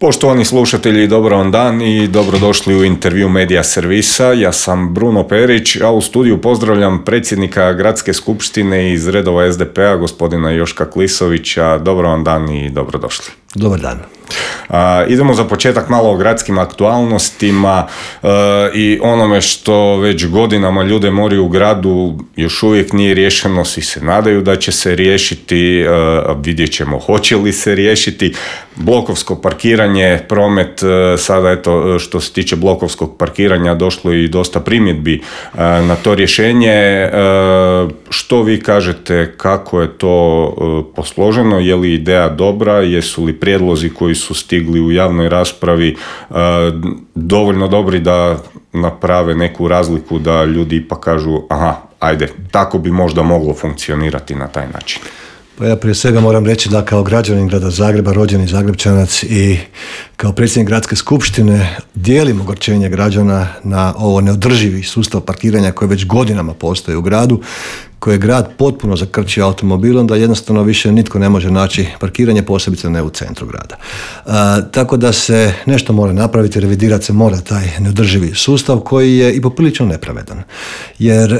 Poštovani slušatelji, dobar vam dan i dobrodošli u intervju Medija servisa. Ja sam Bruno Perić, a u studiju pozdravljam predsjednika Gradske skupštine iz redova SDP-a, gospodina Joška Klisovića. Dobar vam dan i dobrodošli. Dobar dan. Idemo za početak malo o gradskim aktualnostima i onome što već godinama ljude mori u gradu još uvijek nije riješeno, svi se nadaju da će se riješiti, vidjet ćemo hoće li se riješiti. Blokovsko parkiranje, promet, sada eto što se tiče blokovskog parkiranja došlo i dosta primjedbi na to rješenje. Što vi kažete, kako je to posloženo, je li ideja dobra, jesu li prijedlozi koji su stigli u javnoj raspravi dovoljno dobri da naprave neku razliku, da ljudi ipak kažu aha, ajde, tako bi možda moglo funkcionirati na taj način? Pa ja prije svega moram reći da kao građanin grada Zagreba, rođeni Zagrepčanac i kao predsjednik Gradske skupštine dijelim ogorčenje građana na ovo neodrživi sustav parkiranja koji već godinama postoji u gradu, koji je grad potpuno zakrčio automobilom da jednostavno više nitko ne može naći parkiranje, posebice ne u centru grada. Tako da se nešto mora napraviti, revidirati se mora taj neodrživi sustav koji je i poprilično nepravedan. Jer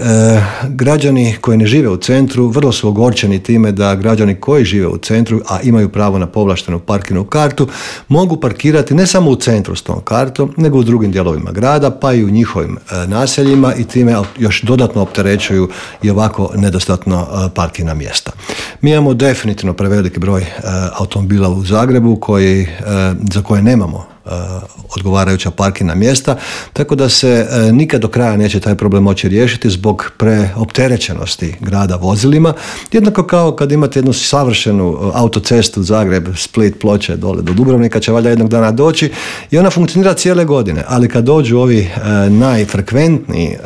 građani koji ne žive u centru vrlo su ogorčeni time da građani koji žive u centru, a imaju pravo na povlaštenu parkirnu kartu, mogu parkirati ne samo u centru s tom kartom, nego u drugim dijelovima grada, pa i u njihovim naseljima i time još dodatno opterećuju i ovako nedostatno parkirna mjesta. Mi imamo definitivno preveliki broj automobila u Zagrebu za koje nemamo odgovarajuća parkirna mjesta, tako da se nikad do kraja neće taj problem moći riješiti zbog preopterećenosti grada vozilima. Jednako kao kad imate jednu savršenu autocestu Zagreb, Split, Ploče, dole do Dubrovnika će valjda jednog dana doći i ona funkcionira cijele godine, ali kad dođu ovi najfrekventniji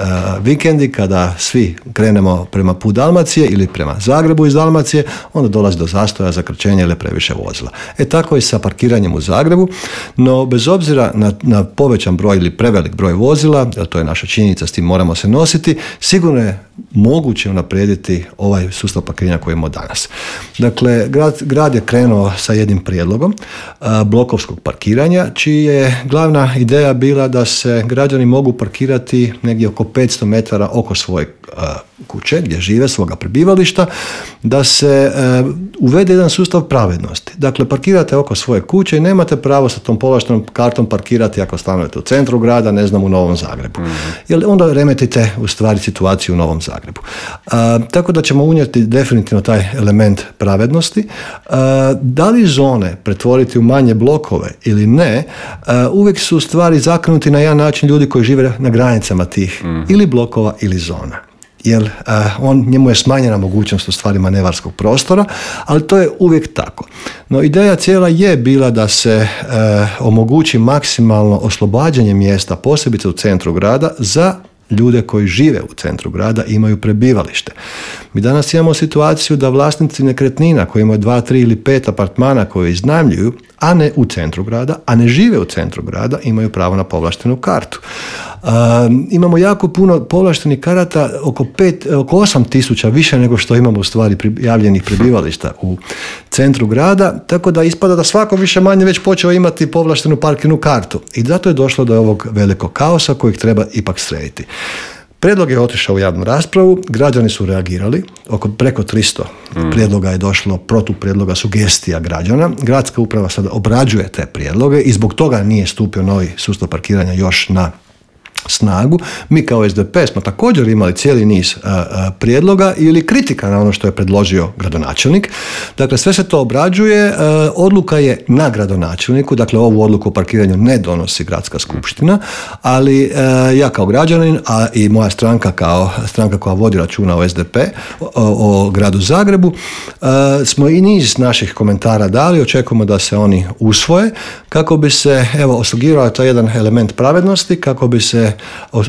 vikendi, kada svi krenemo prema put Dalmacije ili prema Zagrebu iz Dalmacije, onda dolazi do zastoja, zakrčenja ili previše vozila. Tako i sa parkiranjem u Zagrebu, no bez obzira na povećan broj ili prevelik broj vozila, to je naša činjenica, s tim moramo se nositi, sigurno je moguće unaprijediti ovaj sustav parkiranja koji imamo danas. Dakle, grad je krenuo sa jednim prijedlogom blokovskog parkiranja, čija je glavna ideja bila da se građani mogu parkirati negdje oko 500 metara oko svoje kuće gdje žive, svoga prebivališta, da se uvede jedan sustav pravednosti. Dakle, parkirate oko svoje kuće i nemate pravo sa tom povlaštenom kartom parkirati ako stanujete u centru grada, ne znam, u Novom Zagrebu. Jer onda remetite u stvari situaciju u Novom Zagrebu. Tako da ćemo unijeti definitivno taj element pravednosti. Da li zone pretvoriti u manje blokove ili ne, uvijek su stvari zakrenuti na jedan način ljudi koji žive na granicama tih ili blokova ili zona. Jer njemu je smanjena mogućnost u stvari manevarskog prostora, ali to je uvijek tako. No ideja cijela je bila da se omogući maksimalno oslobađanje mjesta, posebice u centru grada, za ljude koji žive u centru grada i imaju prebivalište. Mi danas imamo situaciju da vlasnici nekretnina koji imaju 2, 3 ili 5 apartmana koje iznajmljuju, a ne u centru grada, a ne žive u centru grada, imaju pravo na povlaštenu kartu. Imamo jako puno povlaštenih karata, oko 8.000 više nego što imamo u stvari prijavljenih prebivališta u centru grada, tako da ispada da svako više manje već počeo imati povlaštenu parkirnu kartu i zato je došlo do ovog velikog kaosa kojeg treba ipak srediti. Prijedlog je otišao u javnu raspravu, građani su reagirali, preko 300 prijedloga je došlo, protuprijedloga, sugestija građana. Gradska uprava sada obrađuje te prijedloge i zbog toga nije stupio novi sustav parkiranja još na snagu. Mi kao SDP smo također imali cijeli niz prijedloga ili kritika na ono što je predložio gradonačelnik. Dakle, sve se to obrađuje, odluka je na gradonačelniku, dakle ovu odluku o parkiranju ne donosi Gradska skupština, ali ja kao građanin, a i moja stranka kao stranka koja vodi računa o SDP, o gradu Zagrebu, smo i niz naših komentara dali, očekujemo da se oni usvoje, kako bi se osigurao to jedan element pravednosti, kako bi se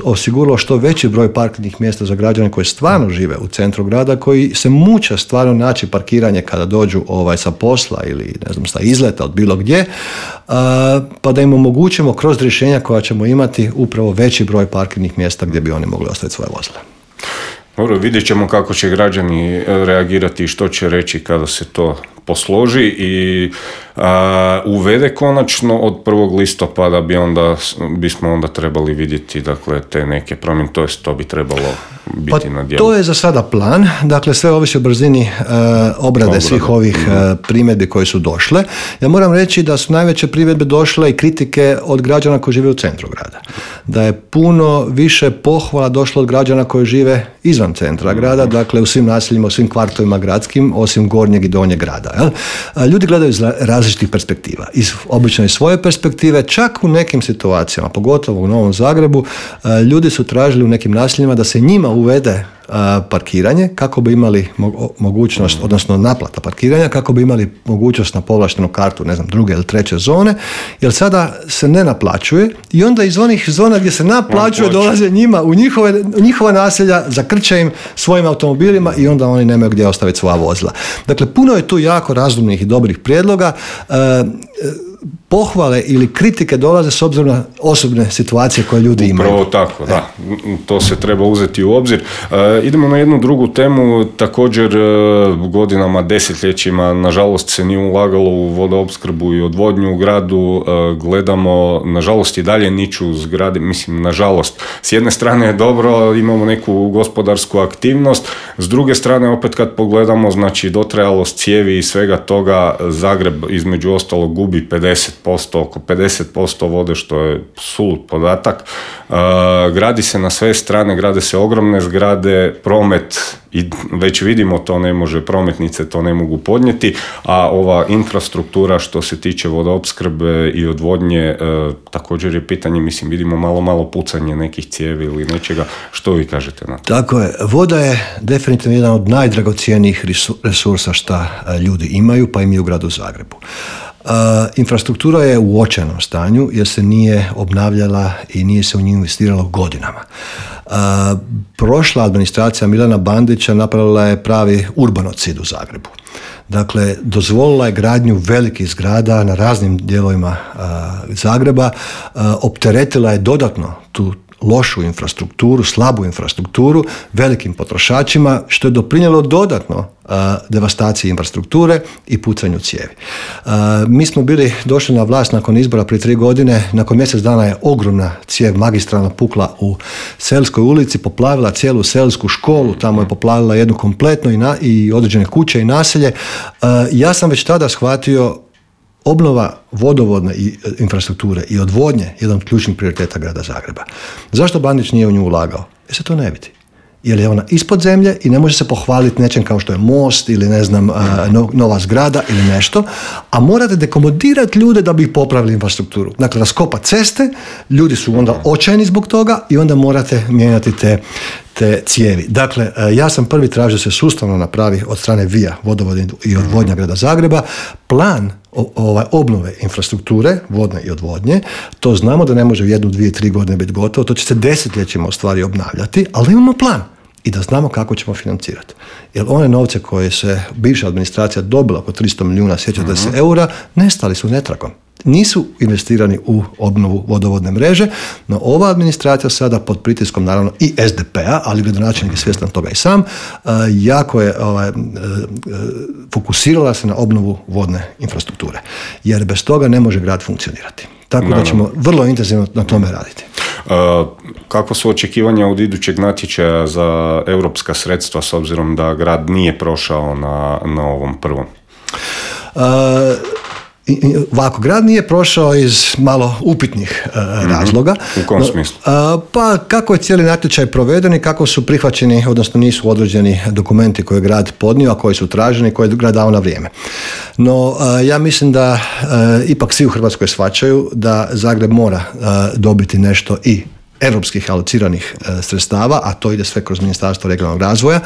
osiguralo što veći broj parkirnih mjesta za građane koji stvarno žive u centru grada, koji se muče stvarno naći parkiranje kada dođu sa posla ili ne znam, sa izleta od bilo gdje, pa da im omogućimo kroz rješenja koja ćemo imati upravo veći broj parkirnih mjesta gdje bi oni mogli ostaviti svoje vozila. Dobro, vidjet ćemo kako će građani reagirati i što će reći kada se to posloži i uvede konačno od 1. listopada bismo onda trebali vidjeti dakle, te neke promjene, to bi trebalo biti na djelu. To je za sada plan, dakle sve ovisi o brzini obrade svih ovih primjedbi koje su došle. Ja moram reći da su najveće primjedbe došle i kritike od građana koji žive u centru grada. Da je puno više pohvala došlo od građana koji žive izvan centra grada, dakle u svim naseljima, u svim kvartovima gradskim, osim gornjeg i donjeg grada. Jel? Ljudi gledaju iz različitih perspektiva. Obično iz svoje perspektive, čak u nekim situacijama, pogotovo u Novom Zagrebu, ljudi su tražili u nekim naseljima da se njima uvede parkiranje kako bi imali mogućnost, odnosno naplata parkiranja, kako bi imali mogućnost na povlaštenu kartu, ne znam, druge ili treće zone, jer sada se ne naplaćuje i onda iz onih zona gdje se naplaćuje dolaze njima u njihova naselja, zakrče im svojim automobilima i onda oni nemaju gdje ostaviti svoja vozila. Dakle, puno je tu jako razumnih i dobrih prijedloga. Pohvale ili kritike dolaze s obzirom na osobne situacije koje ljudi imaju. Upravo tako, da. To se treba uzeti u obzir. Idemo na jednu drugu temu. Također godinama, desetljećima, nažalost se nije ulagalo u vodoopskrbu i odvodnju u gradu. Gledamo, nažalost i dalje niču zgrade. Mislim, nažalost, s jedne strane je dobro, imamo neku gospodarsku aktivnost, s druge strane opet kad pogledamo, znači dotrajalost cijevi i svega toga, Zagreb između ostalog gubi 50%, oko 50% vode, što je sulud podatak. Gradi se na sve strane, grade se ogromne zgrade, promet, i već vidimo to ne može, prometnice to ne mogu podnijeti, a ova infrastruktura što se tiče vodoopskrbe i odvodnje, također je pitanje, mislim, vidimo malo pucanje nekih cijevi ili nečega. Što vi kažete na to? Tako je. Voda je definitivno jedan od najdragocjenijih resursa što ljudi imaju, pa i mi u gradu Zagrebu. Infrastruktura je u očajnom stanju jer se nije obnavljala i nije se u nju investiralo godinama. Prošla administracija Milana Bandića napravila je pravi urbanocid u Zagrebu. Dakle, dozvolila je gradnju velikih zgrada na raznim dijelovima Zagreba, opteretila je dodatno tu lošu infrastrukturu, slabu infrastrukturu velikim potrošačima, što je doprinijelo dodatno devastaciji infrastrukture i pucanju cijevi. Mi smo došli na vlast nakon izbora prije 3 godine, nakon mjesec dana je ogromna cijev magistralna pukla u Selskoj ulici, poplavila cijelu Selsku školu, tamo je poplavila jednu kompletno i određene kuće i naselje. Ja sam već tada shvatio obnova vodovodne infrastrukture i odvodnje jedan od ključnih prioriteta grada Zagreba. Zašto Bandić nije u nju ulagao? Jer se to ne vidi. Jer je ona ispod zemlje i ne može se pohvaliti nečem kao što je most ili ne znam nova zgrada ili nešto, a morate dekomodirati ljude da bi ih popravili infrastrukturu. Dakle, raskopa ceste, ljudi su onda očajni zbog toga i onda morate mijenjati te cijevi. Dakle, ja sam prvi tražio da se sustavno napravi od strane VIA, vodovod i odvodnja grada Zagreba, plan obnove infrastrukture, vodne i odvodnje. To znamo da ne može u 1, 2, 3 godine biti gotovo, to će se desetljećima u stvari obnavljati, ali imamo plan i da znamo kako ćemo financirati. Jer one novce koje se bivša administracija dobila oko 300 milijuna, sjećate se, eura, nestali su netragom. Nisu investirani u obnovu vodovodne mreže, no ova administracija sada pod pritiskom naravno i SDP-a, ali gradonačelnik je svjestan toga i sam, jako je fokusirala se na obnovu vodne infrastrukture. Jer bez toga ne može grad funkcionirati. Tako da ćemo vrlo intenzivno na tome raditi. Kako su očekivanja od idućeg natječaja za europska sredstva s obzirom da grad nije prošao na ovom prvom? Ovako, grad nije prošao iz malo upitnih razloga. U kom smislu? Pa kako je cijeli natječaj proveden i kako su prihvaćeni, odnosno nisu određeni dokumenti koje je grad podnio, a koji su traženi, koje je grad dao na vrijeme. No, ja mislim da ipak svi u Hrvatskoj shvaćaju da Zagreb mora dobiti nešto i europskih alociranih sredstava, a to ide sve kroz Ministarstvo regionalnog razvoja,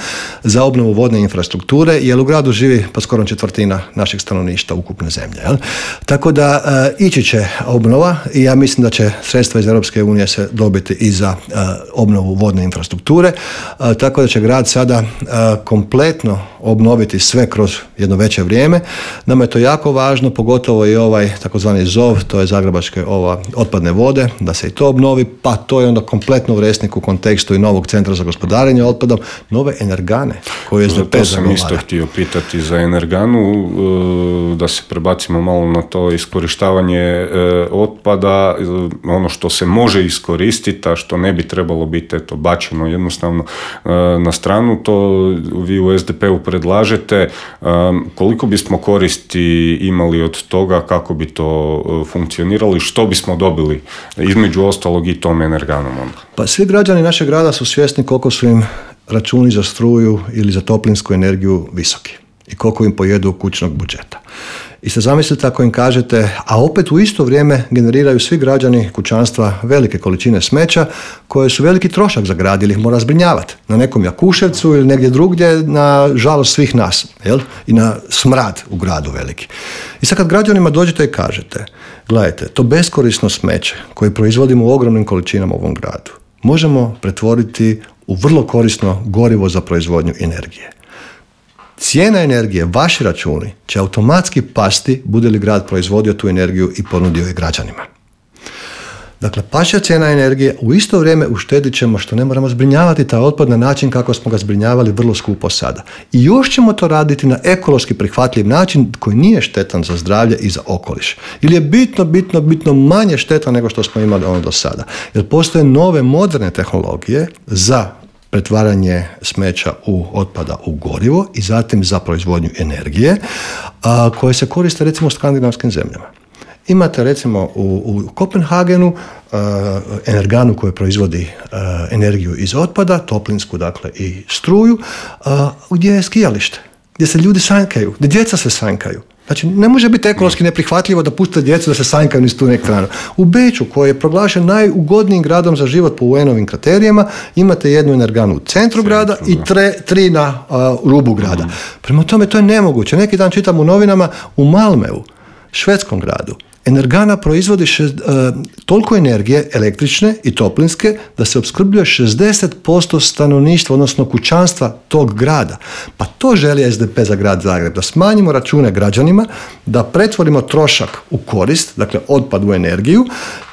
za obnovu vodne infrastrukture, jer u gradu živi pa skoro 1/4 našeg stanovništva ukupne zemlje. Jel? Tako da ići će obnova i ja mislim da će sredstva iz Europske unije se dobiti i za obnovu vodne infrastrukture, tako da će grad sada kompletno obnoviti sve kroz jedno veće vrijeme. Nama je to jako važno, pogotovo i ovaj takozvani ZOV, to je zagrebačke otpadne vode, da se i to obnovi, pa to je onda kompletno u resniku u kontekstu i novog centra za gospodarenje otpadom, nove energane koje SDP zagovara. To sam isto htio pitati za energanu, da se prebacimo malo na to iskorištavanje otpada, ono što se može iskoristiti, a što ne bi trebalo biti bačeno jednostavno na stranu, to vi u SDP-u predlažete. Koliko bismo koristi imali od toga, kako bi to funkcioniralo i što bismo dobili između ostalog i tom energanom onda? Pa svi građani našeg grada su svjesni koliko su im računi za struju ili za toplinsku energiju visoki i koliko im pojedu kućnog budžeta. I sad zamislite ako im kažete, a opet u isto vrijeme generiraju svi građani kućanstva velike količine smeća koje su veliki trošak za grad ili ih mora zbrinjavati na nekom Jakuševcu ili negdje drugdje, na žalost svih nas, jel? I na smrad u gradu veliki. I sad kad građanima dođete i kažete, gledajte, to beskorisno smeće koje proizvodimo u ogromnim količinama u ovom gradu možemo pretvoriti u vrlo korisno gorivo za proizvodnju energije. Cijena energije, vaši računi, će automatski pasti bude li grad proizvodio tu energiju i ponudio je građanima. Dakle, pašća cijena energije, u isto vrijeme uštedit ćemo što ne moramo zbrinjavati taj otpad na način kako smo ga zbrinjavali vrlo skupo sada. I još ćemo to raditi na ekološki prihvatljiv način koji nije štetan za zdravlje i za okoliš. Ili je bitno manje štetan nego što smo imali ono do sada. Jer postoje nove moderne tehnologije za pretvaranje smeća otpada u gorivo i zatim za proizvodnju energije koje se koriste recimo u skandinavskim zemljama. Imate recimo u Kopenhagenu energanu koja proizvodi energiju iz otpada, toplinsku dakle i struju, gdje je skijalište, gdje se ljudi sanjkaju, gdje djeca se sanjkaju. Znači, ne može biti ekološki neprihvatljivo da pustite djecu da se sanjkaju niz tu elektranu. U Beču, koji je proglašen najugodnijim gradom za život po UN-ovim kriterijima, imate jednu energanu u centru grada i tri na rubu grada. Prema tome, to je nemoguće. Neki dan čitam u novinama u Malmeu, švedskom gradu, energana proizvodi toliko energije električne i toplinske da se opskrbljuje 60% stanovništva, odnosno kućanstva tog grada. Pa to želi SDP za grad Zagreb, da smanjimo račune građanima, da pretvorimo trošak u korist, dakle otpad u energiju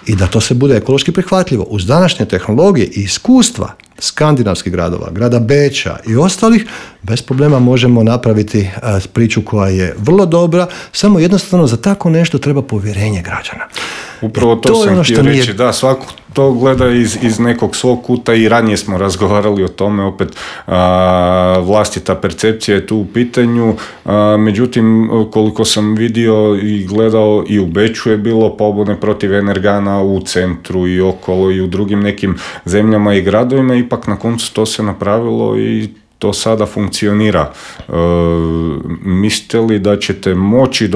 i da to se bude ekološki prihvatljivo. Uz današnje tehnologije i iskustva skandinavskih gradova, grada Beča i ostalih, bez problema možemo napraviti priču koja je vrlo dobra, samo jednostavno za tako nešto treba povjerenje građana. Upravo to sam htio reći, da, svako to gleda iz nekog svog kuta i ranije smo razgovarali o tome, opet vlastita percepcija je tu u pitanju, međutim koliko sam vidio i gledao i u Beču je bilo pobune protiv energana u centru i okolo i u drugim nekim zemljama i gradovima, ipak na koncu to se napravilo i to sada funkcionira. Mislite li da ćete moći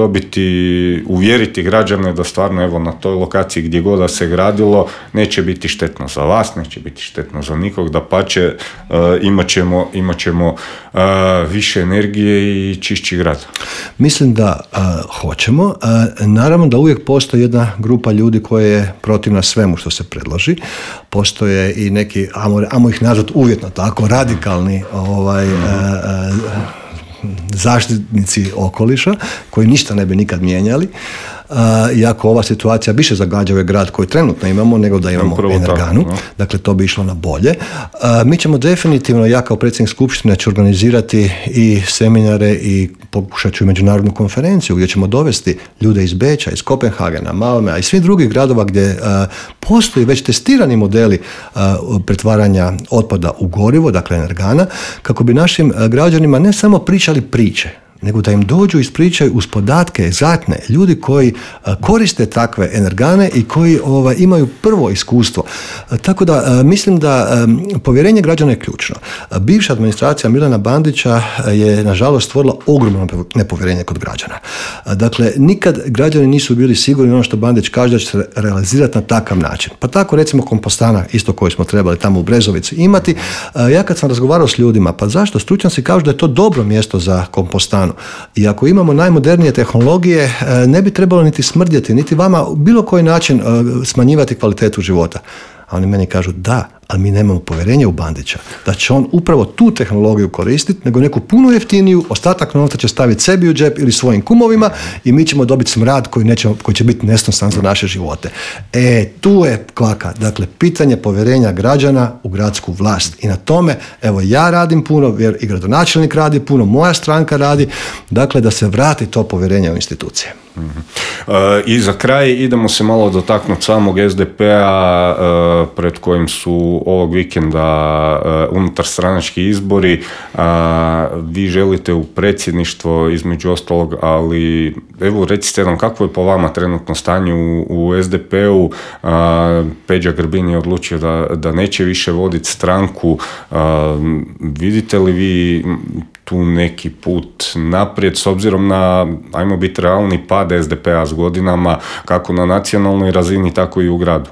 uvjeriti građane da stvarno evo na toj lokaciji gdje god da se gradilo neće biti štetno za vas, neće biti štetno za nikog, dapače imat ćemo više energije i čišći grad? Mislim da hoćemo. Naravno da uvijek postoji jedna grupa ljudi koja je protivna svemu što se predloži. Postoje i neki, ajmo ih nazvati uvjetno tako, radikalni zaštitnici okoliša koji ništa ne bi nikad mijenjali, iako ova situacija više zagađa ovaj grad koji trenutno imamo nego da imamo energanu, dakle to bi išlo na bolje. Mi ćemo definitivno, ja kao predsjednik skupštine ću organizirati i seminare i pokušat ću međunarodnu konferenciju gdje ćemo dovesti ljude iz Beča, iz Kopenhagena, Malmea i svih drugih gradova gdje postoji već testirani modeli pretvaranja otpada u gorivo, dakle energana, kako bi našim građanima ne samo pričali priče, nego da im dođu i ispričaju uz podatke egzaktne ljudi koji koriste takve energane i koji imaju prvo iskustvo. Tako da mislim da povjerenje građana je ključno. Bivša administracija Milana Bandića je nažalost stvorila ogromno nepovjerenje kod građana. Dakle, nikad građani nisu bili sigurni ono što Bandić kaže da će se realizirati na takav način. Pa tako recimo kompostana, isto koju smo trebali tamo u Brezovici imati. Ja kad sam razgovarao s ljudima, pa zašto? Stručnjaci kažu da je to dobro mjesto za kompostanu. I ako imamo najmodernije tehnologije, ne bi trebalo niti smrdjeti, niti vama bilo koji način smanjivati kvalitetu života. A oni meni kažu da, ali mi nemamo povjerenja u Bandića da će on upravo tu tehnologiju koristiti, nego neku puno jeftiniju, ostatak novca će staviti sebi u džep ili svojim kumovima i mi ćemo dobiti smrad koji će biti nesnosan za naše živote. Tu je kvaka. Dakle, pitanje povjerenja građana u gradsku vlast. I na tome, evo, ja radim puno, i gradonačelnik radi puno, moja stranka radi, dakle, da se vrati to povjerenje u institucije. I za kraj idemo se malo dotaknuti samog SDP-a pred kojim su ovog vikenda unutar stranački izbori. Vi želite u predsjedništvo između ostalog, ali evo recite nam kako je po vama trenutno stanje u SDP-u. Peđa Grbin je odlučio da neće više voditi stranku. Vidite li vi tu neki put naprijed s obzirom na, ajmo biti realni, pad SDP-a s godinama, kako na nacionalnoj razini, tako i u gradu?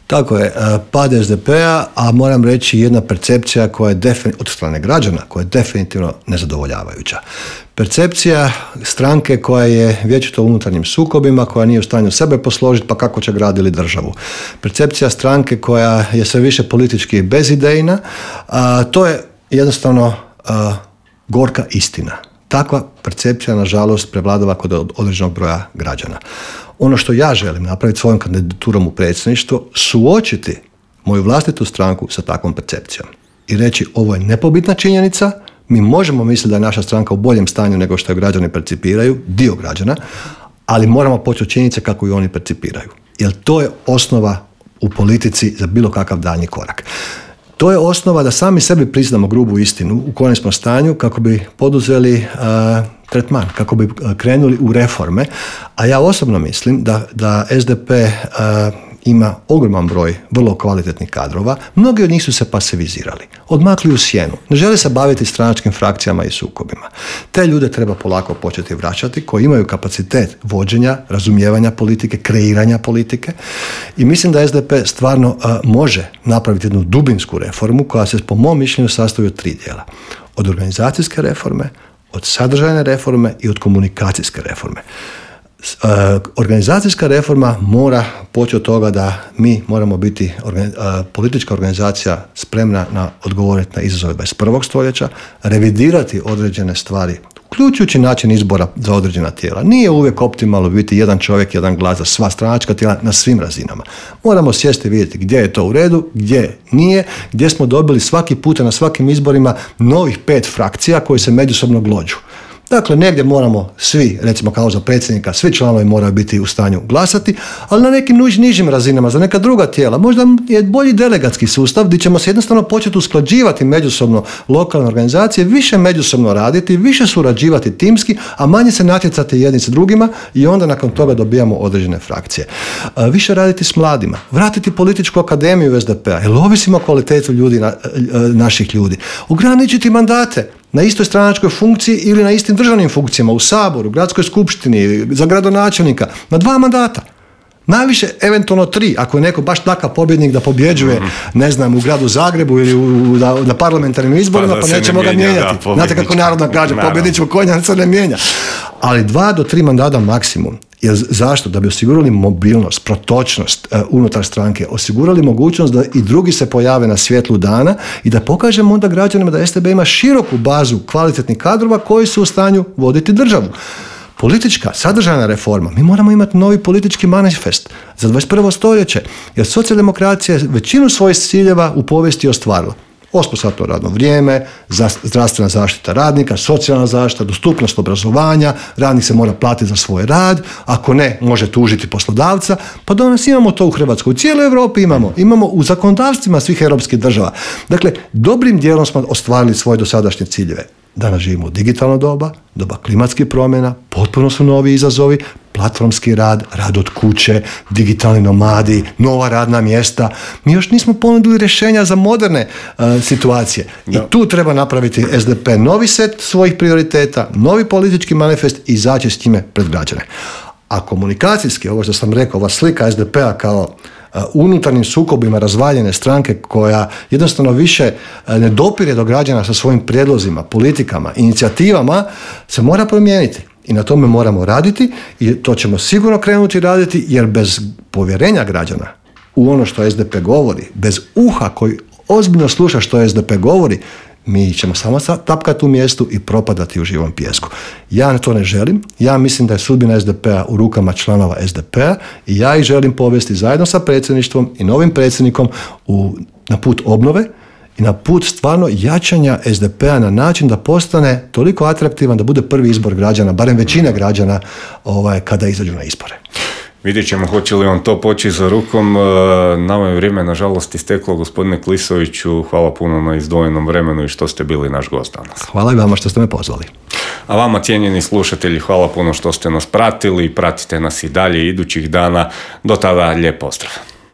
Tako je, pad SDP-a, a moram reći jedna percepcija koja je od strane građana, koja je definitivno nezadovoljavajuća. Percepcija stranke koja je vječito u unutarnjim sukobima, koja nije u stanju sebe posložiti, pa kako će grad ili državu. Percepcija stranke koja je sve više politički bezidejna, to je jednostavno gorka istina. Takva percepcija, nažalost, prevladava kod određenog broja građana. Ono što ja želim napraviti svojom kandidaturom u predsjedništvo, suočiti moju vlastitu stranku sa takvom percepcijom i reći ovo je nepobitna činjenica, mi možemo misliti da je naša stranka u boljem stanju nego što je građani percipiraju, dio građana, ali moramo početi od činjenice kako ju oni percipiraju. Jer to je osnova u politici za bilo kakav daljnji korak. To je osnova da sami sebi priznamo grubu istinu u kojem smo stanju kako bi poduzeli tretman, kako bi krenuli u reforme, a ja osobno mislim da SDP ima ogroman broj vrlo kvalitetnih kadrova, mnogi od njih su se pasivizirali, odmakli u sjenu, ne žele se baviti stranačkim frakcijama i sukobima. Te ljude treba polako početi vraćati, koji imaju kapacitet vođenja, razumijevanja politike, kreiranja politike, i mislim da SDP stvarno može napraviti jednu dubinsku reformu koja se po mom mišljenju sastoji od 3 dijela. Od organizacijske reforme, od sadržajne reforme i od komunikacijske reforme. Organizacijska reforma mora poći od toga da mi moramo biti politička organizacija spremna na odgovoriti na izazove 21. stoljeća, revidirati određene stvari, uključujući način izbora za određena tijela. Nije uvijek optimalno biti jedan čovjek, jedan glas za sva stranačka tijela na svim razinama. Moramo sjesti i vidjeti gdje je to u redu, gdje nije, gdje smo dobili svaki puta na svakim izborima novih 5 frakcija koji se međusobno glođu. Dakle, negdje moramo svi, recimo kao za predsjednika, svi članovi moraju biti u stanju glasati, ali na nekim nižim razinama, za neka druga tijela. Možda je bolji delegatski sustav gdje ćemo se jednostavno početi usklađivati međusobno lokalne organizacije, više međusobno raditi, više surađivati timski, a manje se natjecati jedni s drugima i onda nakon toga dobijamo određene frakcije. Više raditi s mladima, vratiti političku akademiju u SDP-a, jer ovisimo o kvalitetu ljudi, naših ljudi. Ograničiti mandate na istoj stranačkoj funkciji ili na istim državnim funkcijama u Saboru, gradskoj skupštini, za gradonačelnika, na 2 mandata. Najviše, eventualno 3, ako je neko baš takav pobjednik da pobjeđuje, ne znam, u gradu Zagrebu ili na parlamentarnim izborima, pa nećemo ga mijenjati. Znate kako narodna kaže, pobjedničko konja se ne mijenja. Ali 2 do 3 mandata maksimum. Jer zašto? Da bi osigurali mobilnost, protočnost unutar stranke, osigurali mogućnost da i drugi se pojave na svjetlu dana i da pokažemo onda građanima da STB ima široku bazu kvalitetnih kadrova koji su u stanju voditi državu. Politička, sadržajna reforma, mi moramo imati novi politički manifest za 21. stoljeće, jer socijaldemokracija je većinu svojih ciljeva u povijesti ostvarila. 8-satno radno vrijeme, zdravstvena zaštita radnika, socijalna zaštita, dostupnost obrazovanja, radnik se mora platiti za svoj rad, ako ne, može tužiti poslodavca, pa danas imamo to u Hrvatskoj, u cijeloj Europi imamo u zakonodavstvima svih europskih država. Dakle, dobrim dijelom smo ostvarili svoje dosadašnje ciljeve. Danas živimo u digitalno doba klimatskih promjena, potpuno su novi izazovi, platformski rad, rad od kuće, digitalni nomadi, nova radna mjesta. Mi još nismo ponudili rješenja za moderne situacije. I tu treba napraviti SDP novi set svojih prioriteta, novi politički manifest i izaći s time pred građane. A komunikacijski, ovo što sam rekao, ova slika SDP-a kao unutarnjim sukobima razvaljene stranke koja jednostavno više ne dopire do građana sa svojim prijedlozima, politikama, inicijativama, se mora promijeniti. I na tome moramo raditi i to ćemo sigurno krenuti raditi, jer bez povjerenja građana u ono što SDP govori, bez uha koji ozbiljno sluša što SDP govori, mi ćemo samo tapkati u mjestu i propadati u živom pijesku. Ja to ne želim. Ja mislim da je sudbina SDP-a u rukama članova SDP-a i ja ih želim povesti zajedno sa predsjedništvom i novim predsjednikom na put obnove i na put stvarno jačanja SDP-a na način da postane toliko atraktivan da bude prvi izbor građana, barem većine građana kada izađu na izbore. Vidjet ćemo hoće li on to poći za rukom. Nama je vrijeme nažalost isteklo, gospodine Klisoviću. Hvala puno na izdvojenom vremenu i što ste bili naš gost danas. Hvala i vama što ste me pozvali. A vama, cijenjeni slušatelji, hvala puno što ste nas pratili. Pratite nas i dalje idućih dana. Do tada lijep pozdrav.